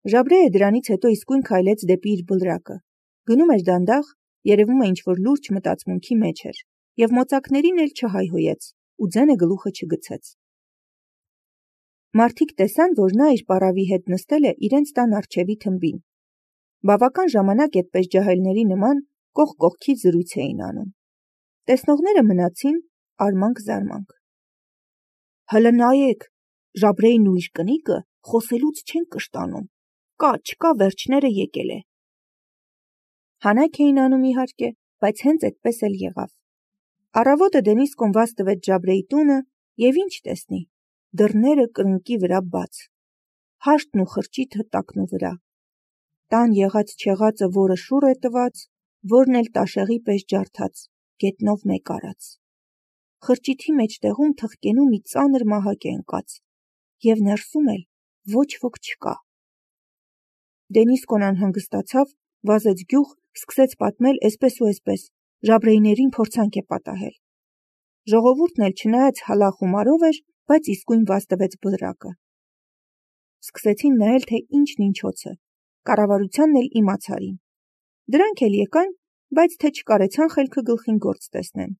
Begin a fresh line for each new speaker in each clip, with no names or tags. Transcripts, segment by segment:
Ժաբրեը դրանից հետո իսկույն քայլեց դեպի իր բլրակը։ Գնում էր դանդաղ, երևում է ինչ-որ լուրջ մտածմունքի մեջ էր, և մոծակներին էլ չհայհոյեց, ու ձենը գլուխը չգցեց։ Մարդիկ տեսան, որ նա իր պարավի հետ նստել է իրենց տան առջևի թմբին։ Բավական ժամանակ այդպես ջահելների նման կողք կողքի զրույց էին անում։ Տեսնողները մնացին արմանք-զարմանք։ Հլը նայեք, Ժաբրեին ու իր կնիկը խոսելուց չեն կշտանում, կա վերջները եկել է։ Հանայք էին անում իհարկե, բայց հենց այդպես էլ եղավ։ Առավոտը Դենիսկոն վազ տվեց Ժաբրեի տունը և ինչ տեսնի, դռները կրունկի վրա բաց, հաշտն ու խրճիթը տակնու վրա։ Տան եղած չեղածը որը շուռ է տված, որն էլ տաշեղի պես ջարդած, գետնով մեկ արած։ Խրճիթի մեջտեղում թխկենու մի ծանր մահակ է ընկած, և ներսում էլ ոչ ոք չկա։ Դենիսկոն անհանգստացավ, վազեց գյուղ, սկսեց պատմել էսպես ու էսպես, Ժաբրեիներին փորձանք է պատահել։ Ժողովուրդն էլ չնայած հալախումարով էր, բայց իսկույն վազ տվեց բլրակը։ Սկսեցին նայել, թե ինչն ինչոց է, կառավարությանն էլ իմացարին։ Դրանք էլ եկան, բայց թե չկարեցան խելքը գլխին գործ տեսնեն։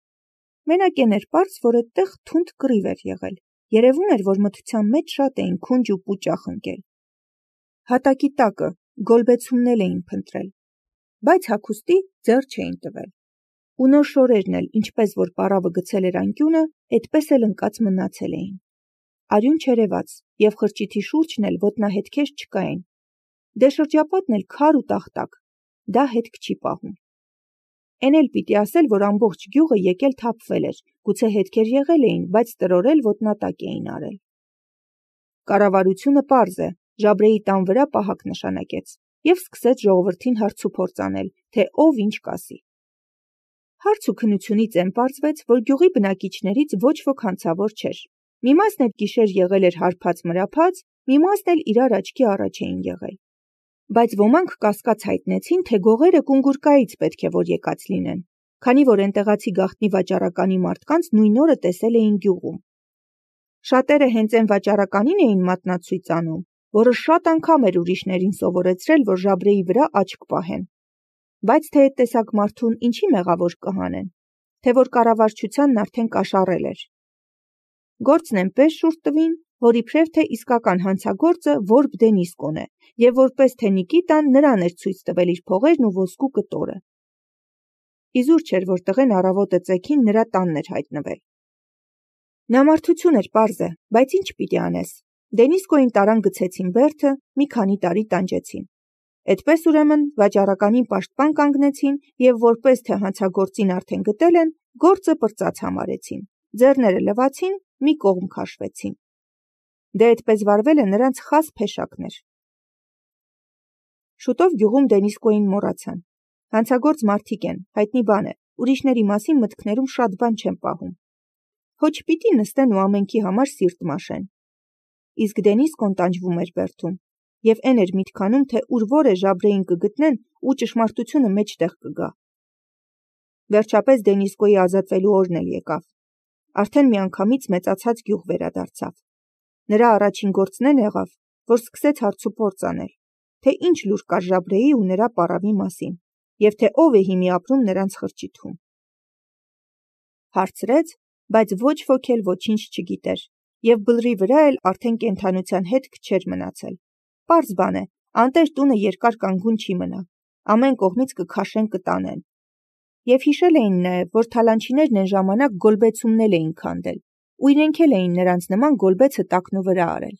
Մենակ էն էր պարզ, որ այդտեղ թունդ կռիվ էր եղել, երևում էր, որ մթության մեջ շատ էին քունջ ու պուճախ ընկել։ Հատակի տակը, գոլբեցումնել էին փնտրել, բայց հագուստի ձեռ չէին տվել։ Ու նոր շորերն էլ, ինչպես որ պարավը գցել էր անկյունը, այդպես էլ ընկած մնացել էին։ Արյուն չերևաց, և խրճիթի շուրջն էլ ոտնահետքեր չկային։ Դե շրջապատն էլ քար ու տախտակ, դա հետք չի պահում։ Էն էլ պիտի ասել, որ ամբողջ գյուղը եկել թափվել էր, գուցե հետքեր եղել էին, բայց տրորել ոտնատակ էին արել։ Կառավարությունը պարզ է, Ժաբրեի տան վրա պահակ նշանակեց և սկսեց ժողովրդին հարցուփորձ անել, թե ով ինչ կասի։ Հարց ու քննությունից էն պարզվեց, որ գյուղի բնակիչներից ոչ ոք հանցավոր չէր։ Մի մասն այդ գիշեր եղել էր հարբած-մրափած, մի մասն էլ իրար աչքի առաջ էին եղել։ Բայց ոմանք կասկած հայտնեցին, թե գողերը Կունգուրկայից պետք է որ եկած լինեն, քանի որ էնտեղացի գաղտնի վաճառականի մարդկանց նույն օրը տեսել էին գյուղում։ Շատերը հենց այն վաճառականին էին մատնացույց անում, որը շատ անգամ էր ուրիշներին սովորեցրել, որ Ժաբրեի վրա աչք պահեն։ Բայց թե այդ տեսակ մարդուն ինչի մեղավոր կհանեն, թե որ կառավարչությանն արդեն կաշառել էր։ Գործն այնպես շուռ տվին, որ իբրև թե իսկական հանցագործը Որբ Դենիսկոն է, և որպես թե Նիկիտան նրան էր ցույց տվել իր փողերն ու ոսկու կտորը։ Իզուր չէր, որ տղեն առավոտը ծեքին նրա տանն էր հայտնվել։ Նամարդություն էր, պարզ է, բայց ինչ պիտի անես։ Դենիսկոին տարան գցեցին բերդը, մի քանի տարի տանջեցին։ Այդպես ուրեմն վաճառականին պաշտպան կանգնեցին և որպես թե հանցագործին արդեն գտել են, գործը պրծած համարեցին, ձեռները լվացին, մի կողմ քաշվեցին։ Դե այդպես վարվելը նրանց խազ փեշակն էր։ Շուտով գյուղում Դենիսկոին մոռացան։ Հանցագործ մարդիկ են, հայտնի բան է, ուրիշների մասին մտքներում շատ բան չեն պահում։ Հո չպիտի նստեն ու ամենքի համար սիրտ մաշեն։ Իսկ Դենիսկոն տանջվում էր բերդում, և էն էր միտքանում, թե ուր որ է Ժաբրեին կգտնեն ու ճշմարտությունը մեջտեղ կգա։ Վերջապես Դենիսկոյի ազատվելու օրն էլ եկավ։ Արդեն միանգամից մեծացած գյուղ վերադարձավ։ Նրա առաջին գործն էն եղավ, որ սկսեց հարցուփորձ անել, թե ինչ լուր կար Ժաբրեի ու նրա պարավի մասին, և թե ով է հիմի ապրում նրանց խրճիթում։ Հարցրեց, բայց ոչ ոք էլ ոչինչ չգիտեր, և բլրի վրա էլ արդեն կենդանության հետք չէր մնացել։ Պարզ բան է, անտեր տունը երկար կանգուն չի մնա, ամեն կողմից կքաշեն կտանեն։ Եվ հիշել էին նաև, որ թալանչիներն այն ժամանակ գոլբեցումնել էին քանդել, ու իրենք էլ էին նրանց նման գոլբեցը տակնու վրա արել։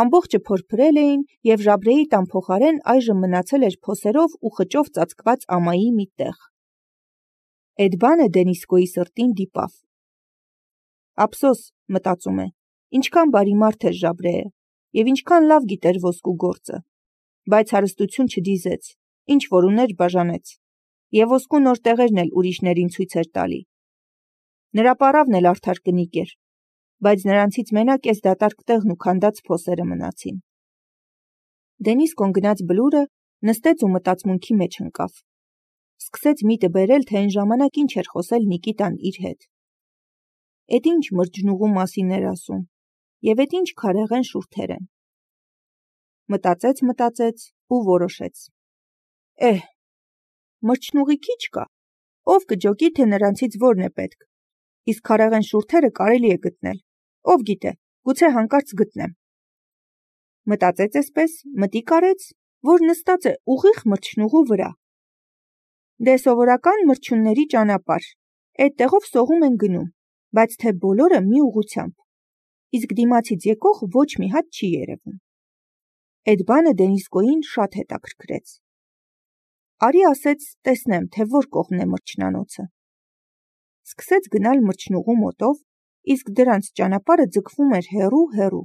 Ամբողջը փորփրել էին, և Ժաբրեի տան փոխարեն այժմ մնացել էր փոսերով ու խճով ծածկված ամայի մի տեղ։ Էդ բանը Դենիսկոյի սրտին դիպավ։ Ափսոս, մտածում է, ինչքան բարի մարդ էր Ժաբրեը, և ինչքան լավ գիտեր ոսկու գործը, բայց հարստություն չդիզեց, ինչ որ ուներ բաժանեց, և ոսկու նոր տեղերն էլ ուրիշներին ցույց էր տալի։ Նրա պարավն էլ արդար կնիկ էր, բայց նրանցից մենակ էս դատարկ տեղն ու քանդած փոսերը մնացին։ Դենիսկոն գնաց բլուրը, նստեց ու մտածմունքի մեջ ընկավ։ Սկսեց միտը բերել, թե այն ժամանակ ինչ էր խոսել Նիկիտան իր հետ։ Էդ ինչ մրջնուղու մասին էր ասում, և էդ ինչ քարեղեն շուրթեր են։ մտածեց ու որոշեց. մրջնուղի քիչ կա, ով կջոկի, թե նրանցից որն է պետք, իսկ քարեղեն շուրթերը կարելի է գտնել, ով գիտե, գուցե հանկարծ գտնեմ։ Մտածեց այսպես, մտիկ արեց, որ նստած է ուղիղ մրջնուղու վրա։ Դե սովորական մրջյունների ճանապարհ, այդտեղով սողում են գնում, բայց թե բոլորը մի ուղղությամբ, իսկ դիմացից եկող ոչ մի հատ չի երևում։ Այդ բանը Դենիսկոյին շատ հետաքրքրեց։ Արի ասեց, տեսնեմ, թե որ կողմն է մրջնանոցը։ Սկսեց գնալ մրջնուղու մոտով, իսկ դրանց ճանապարհը ձգվում էր հեռու։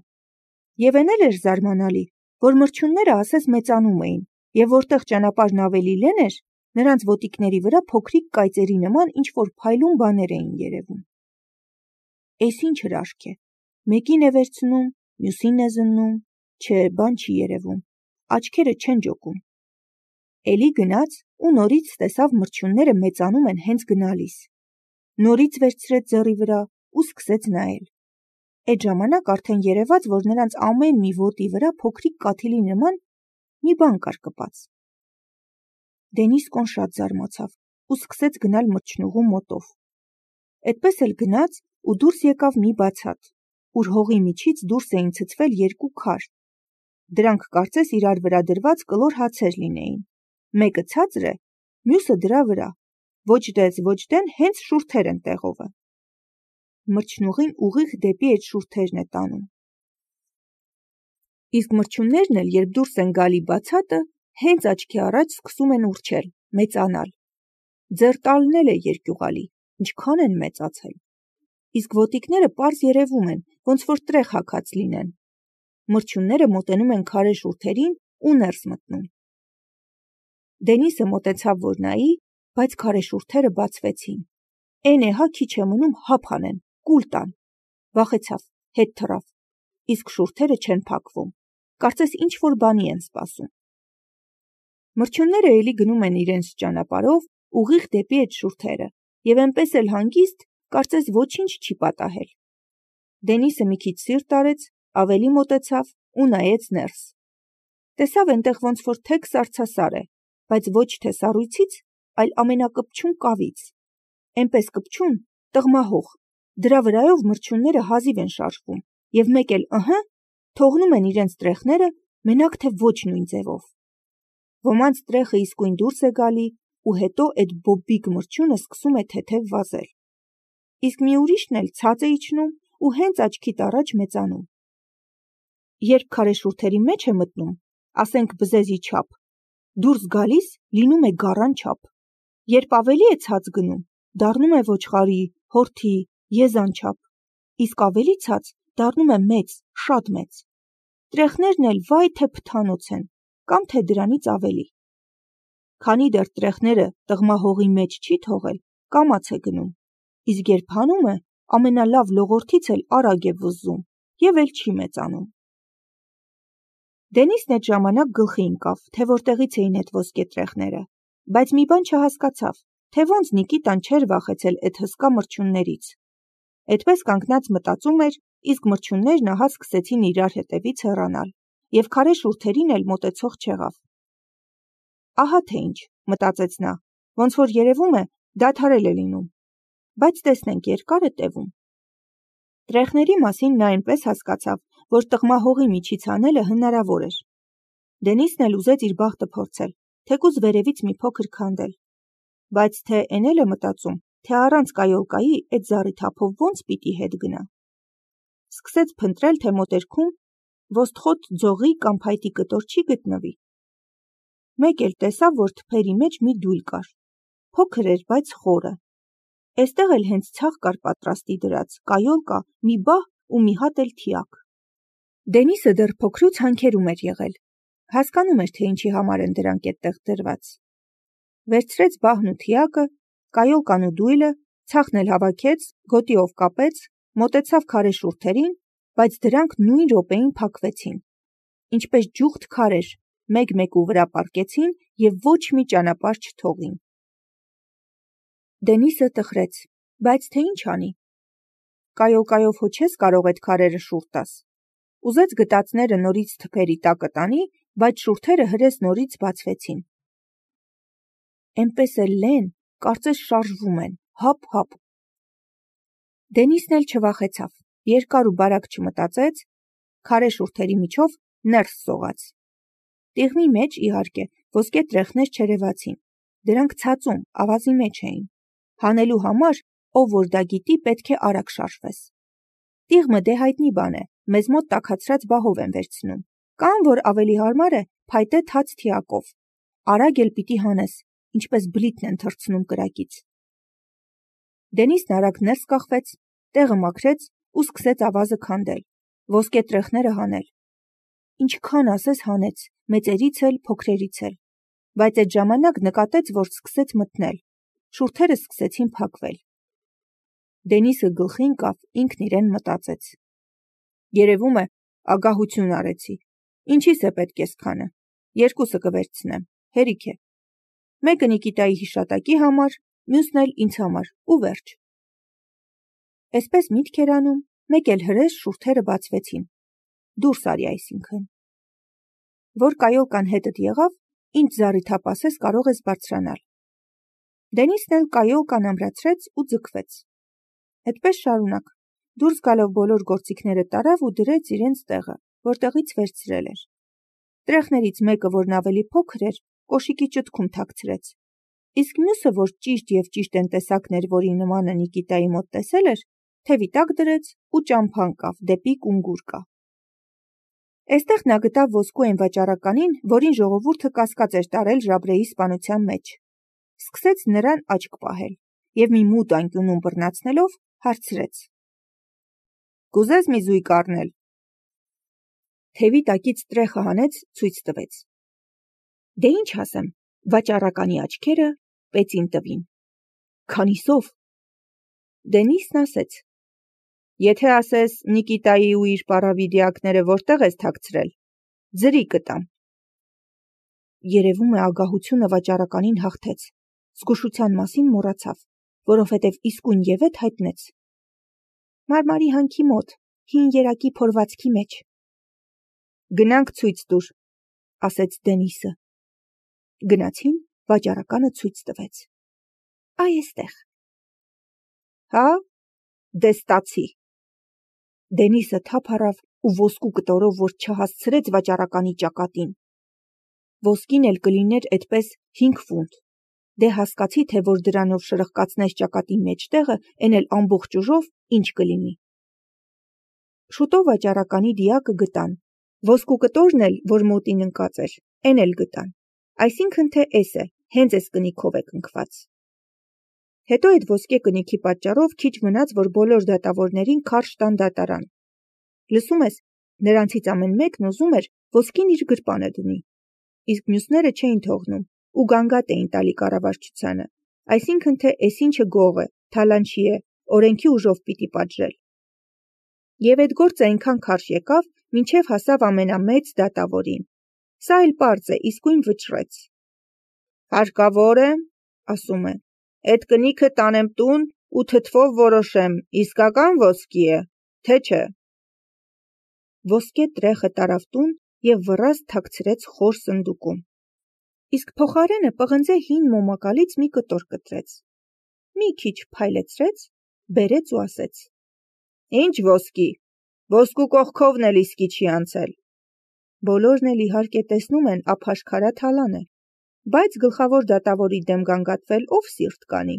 Եվ էն էլ էր զարմանալի, որ մրջյունները ասես մեծանում էին, եւ որտեղ ճանապարհն ավելի լեն էր, նրանց ոտիկների վրա փոքրիկ կայծերի նման ինչ-որ փայլուն բաներ էին երևում։ Էս ինչ հրաշք է, մեկին է վերցնում, մյուսին է զննում, չէ, բան չի երևում, աչքերը չեն ջոկում։ Էլի գնաց ու նորից տեսավ մրջյունները մեծանում են հենց գնալիս։ Նորից վերցրեց ձեռի վրա ու սկսեց նայել։ Այդ ժամանակ արդեն երևաց, որ նրանց ամեն մի ոտի վրա փոքրիկ կաթիլի նման մի բան կար կպած։ Դենիսկոն շատ զարմացավ ու սկսեց գնալ մրջնուղու մոտով։ Այդպես էլ գնաց ու դուրս եկավ մի բացատ, ուր հողի միջից դուրս էին ցցվել երկու քար։ Դրանք կարծես իրար վրա դրված կլոր հացեր լինեին։ Մեկը ցածր է, մյուսը դրա վրա, ոչ դես ոչ դեն հենց շուրթեր են տեղովը։ Մրջնուղին ուղիղ դեպի այդ շուրթերն է տանում։ Իսկ մրջյուններն էլ, երբ դուրս են գալի բացատը, հենց աչքի առաջ սկսում են ուռչել, մեծանալ։ Ձեռ տալն էլ է երկյուղալի, ինչքան են մեծացել։ Իսկ ոտիկները պարզ երևում են, ոնց որ տրեղ հագած լինեն։ Մրջյունները մոտենում են քարե շուրթերին ու ներս մտնում։ Դենիսը մոտեցավ, որ նայի, բայց քարե շուրթերը բացվեցին։ Էն է հա քիչ է մնում հապ անեն, կուլ տան։ Վախեցավ, հետ թռավ, իսկ շուրթերը չեն փակվում, կարծես ինչ-որ բանի են սպասում։ Մրջյունները էլի գնում են իրենց ճանապարհով ուղիղ դեպի այդ շուրթերը, եւ այնպես էլ հանգիստ, կարծես ոչինչ չի պատահել։ Դենիսը մի քիչ սիրտ արեց, ավելի մոտեցավ ու նայեց ներս։ Տեսավ այնտեղ ոնց որ թեք սառցասար է, բայց ոչ թե սառույցից, այլ ամենակպչուն կավից։ Այնպես կպչուն, տղմահող, դրա վրայով մրջյունները հազիվ են շարժվում, եւ մեկ էլ թողնում են իրենց տրեխները, մենակ թե ոչ նույն ձևով։ Ոմանց տրեխը իսկույն դուրս է գալի, ու հետո այդ բոբիկ մրջյունը սկսում է թեթև վազել։ Իսկ մի ուրիշն էլ ցած է իջնում ու հենց աչքիդ առաջ մեծանում։ Երբ քարե շուրթերի մեջ է մտնում, ասենք բզեզի չափ, դուրս գալիս լինում է գառան չափ։ Երբ ավելի է ցած գնում, դառնում է ոչխարի, հորթի, եզան չափ, իսկ ավելի ցած դառնում է մեծ, շատ մեծ։ Տրեխներն էլ վայ թե փթանոց են, կամ թե դրանից ավելի։ Քանի դեռ տրեխները տղմահողի մեջ չի թողել, կամաց է գնում, իսկ երբ հանում է, ամենալավ լողորթից էլ արագ է վզզում եւ էլ չի մեծանում։ Դենիսն այդ ժամանակ գլխի ընկավ, թե որտեղից էին այդ ոսկե տրեխները, բայց մի բան չհասկացավ, թե ոնց Նիկիտան չէր վախեցել այդ հսկա մրջյուններից։ Այդպես կանգնած մտածում էր, իսկ մրջյուններն ահա սկսեցին իրար հետևից հեռանալ, եւ քարե շուրթերին էլ մոտեցող չեղավ։ Ահա թե ինչ, մտածեց նա, ոնց որ երևում է, դադարել է լինում, բայց տեսնենք երկար է տևում։ Տրեխների մասին նա այնպես հասկացավ, որ տղմահողի միջից անելը հնարավոր էր։ Դենիսն էլ ուզեց իր բախտը փորձել, թեկուզ վերևից մի փոքր քանդել, բայց թե էն էլ է մտածում, թե առանց կայոլկայի այդ զառիթափով ոնց պիտի հետ գնա։ Սկսեց փնտրել, թե մոտերքում ոստխոտ ձողի կամ փայտի կտոր չի գտնվի։ Մեկ էլ տեսավ, որ թփերի մեջ մի դույլ կար, փոքր էր, բայց խորը։ Այստեղ էլ հենց ցախ կար պատրաստի դրած, կայոլկա, մի բահ ու մի հատ էլ թիակ։ Դենիսը դեռ փոքրուց հանքերում էր եղել, հասկանում էր, թե ինչի համար են դրանք այդտեղ դրված։ Վերցրեց բահն ու թիակը, կայոլկան ու դույլը, ցախն էլ հավաքեց, գոտիով կապեց, մոտեցավ քարե շուրթերին, բայց դրանք նույն րոպեին փակվեցին։ Ինչպես ջուղթ քարեր, մեկ-մեկու վրա պառկեցին եւ ոչ մի ճանապարհ չթողին։ Դենիսը տխրեց, բայց թե ինչ անի։ Կայոլկայով հո չես կարող այդ քարերը շուռ տաս։ Ուզեց գտածները նորից թփերի տակը տանի, բայց շուրթերը հրես նորից բացվեցին։ Էնպես էլ լեն, կարծես շարժվում են, հապ-հապ։ Դենիսն էլ չվախեցավ, երկար ու բարակ չմտածեց, քարե շուրթերի միջով ներս սողաց։ Տիղմի մեջ, իհարկե, ոսկե տրեխներ չերևացին, դրանք ցածում, ավազի մեջ էին։ Հանելու համար, ով որ դա գիտի, պետք է արագ շարժվես։ Տիղմը դե հայտնի բան է, մեզ մոտ տաքացրած բահով են վերցնում, կամ որ ավելի հարմար է, փայտե թաց թիակով։ Արագ էլ պիտի հանես, ինչպես բլիթն են թռցնում կրակից։ Դենիսն արագ ներս կախվեց, տեղը մաքրեց ու սկսեց ավազը քանդել, ոսկե տրեխները հանել։ Ինչքան ասես հանեց, մեծերից էլ, փոքրերից էլ, բայց այդ ժամանակ նկատեց, որ սկսեց մթնել, շուրթերը սկսեցին փակվել։ Դենիսը գլխի ընկավ, ինքն իրեն մտածեց. երևում է, ագահություն արեցի, ինչի՞ս է պետք էսքանը, երկուսը կվերցնեմ, հերիք է, մեկը Նիկիտայի հիշատակի համար, մյուսն էլ ինձ համար, ու վերջ։ Էսպես միտք էր անում, մեկ էլ հրես շուրթերը բացվեցին, դուրս արի այսինքն։ Որ կայոլկան հետդ եղավ, ինչ զառիթափ ասես կարող ես բարձրանալ։ Դենիսն էլ կայոլկան ամրացրեց ու ձգվեց։ Այդպես շարունակ, դուրս գալով բոլոր գործիքները տարավ ու դրեց իրենց տեղը, որտեղից վերցրել էր։ Տրեխներից մեկը, որն ավելի փոքր էր, կոշիկի ճտքում թաքցրեց, իսկ մյուսը, որ ճիշտ և ճիշտ են տեսակներ, որի նմանը Նիկիտայի մոտ տեսել էր, թևի տակ դրեց ու ճամփա ընկավ դեպի կունգուրկա։ Էստեղ նա գտավ ոսկու այն վաճառականին, որին ժողովուրդը կասկած էր տարել Ժաբրեի սպանության մեջ։ Սկսեց նրան աչք պահել և մի մութ անկյունում բռնացնելով հարցրեց. «Կուզես մի զույգ առնել»։ Թևի տակից տրեխը հանեց, ցույց տվեց։ Դե ինչ ասեմ, վաճառականի աչքերը պեցին տվին։ Քանիսով։ Դենիսն ասեց. Եթե ասես Նիկիտայի ու իր պարավիդիակները որտեղ ես թաքցրել, ձրի կտամ։ Երևում է ագահությունը վաճառականին հաղթեց, զգուշության մասին մոռացավ, որովհետև իսկույն ևեթ հայտնեց. Մարմարի հանքի մոտ, հին երակի փորվածքի մեջ։ Գնանք ցույց տուր, ասեց Դենիսը։ Գնացին, վաճառականը ցույց տվեց։ Այ էստեղ։ Հա, դե ստացի։ Դենիսը թափ առավ ու ոսկու կտորով, որ չհասցրեց վաճառականի ճակատին։ Ոսկին էլ կլիներ այդպես 5 ֆունտ։ Դե հասկացի, թե որ դրանով շրխկացնես ճակատի մեջտեղը, էն էլ ամբողջ ուժով, ինչ կլինի։ Շուտով վաճառականի դիակը գտան, ոսկու կտորն էլ, որ մոտին ընկած էր, էն էլ գտան, այսինքն թե էս է, հենց էս կնիքով է կնքված։ Հետո այդ ոսկե կնիքի պատճառով քիչ մնաց, որ բոլոր դատավորներին քարշ տան դատարան։ Լսում ես, նրանցից ամեն մեկն ուզում էր ոսկին իր գրպանը դնի, իսկ մյուսները չէին թողնում ու գանգատ էին տալի կառավարչությանը, այսինքն թե էս ինչը գող է, թալանչի է, օրենքի ուժով պիտի պատժել։ Եվ այդ գործը այնքան քարշ եկավ, մինչև հասավ ամենամեծ դատավորին։ Սա էլ պարզ է, իսկույն վճռեց։ Հարկավոր է, ասում է, այդ կնիքը տանեմ տուն ու թթվով որոշեմ, իսկական ոսկի է, թե չէ։ Ոսկե տրեխը տարավ տուն և վռազդ թաքցրեց խոր սնդուկում։ Իսկ փոխարենը պղնձե հին մոմակալից մի կտոր կտրեց։ Մի քիչ փայլեցրեց, բերեց ու ասեց. Ինչ ոսկի, ոսկու կողքովն էլ իսկի չի անցել։ Բոլորն էլ իհարկե տեսնում են ափաշքարա թալան է, բայց գլխավոր դատավորի դեմ գանգատվել ով սիրտ կանի։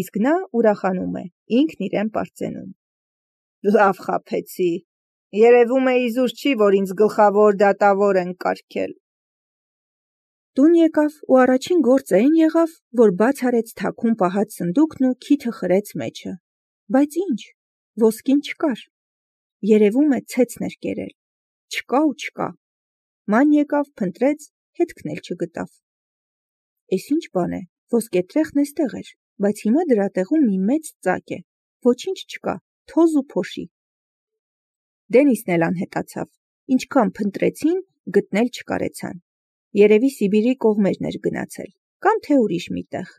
Իսկ նա ուրախանում է, ինքն իրեն պարծենում։ Լավ խաբեցի, երևում է իզուր չի, որ ինձ գլխավոր դատավոր են կարգել։ Տուն եկավ ու առաջին գործը այն եղավ, որ բաց արեց թաքուն պահած սնդուկն ու քիթը խրեց մեջը։ Բայց ինչ, ոսկին չկար։ Երևում է ցեցն էր կերել։ Չկա ու չկա։ Ման եկավ, փնտրեց, հետքն էլ չգտավ։ Էս ինչ բան է, ոսկե տրեխն էստեղ էր, բայց հիմա դրա տեղում մի մեծ ծակ է, ոչինչ չկա, թոզ ու փոշի։ Դենիսն էլ անհետացավ, ինչքան փնտրեցին, գտնել չկարեցան։ Երևի Սիբիրի կողմերն էր գնացել, կամ թե ուրիշ մի տեղ։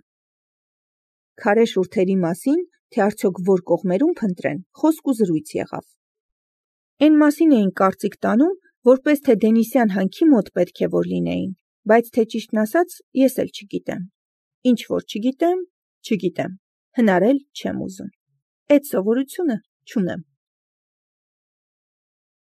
Քարե շուրթերի մասին, թե արդյոք որ կողմերում փնտրեն, խոսք ու զրույց եղավ։ Էն մասին էին կարծիք տանում, որպես թե Դենիսյան հանքի մոտ պետք է որ լինեին, բայց թե ճիշտն ասած, ես էլ չգիտեմ։ Ինչ որ չգիտեմ, հնարել չեմ ուզում։ Էդ սովորությունը չունեմ։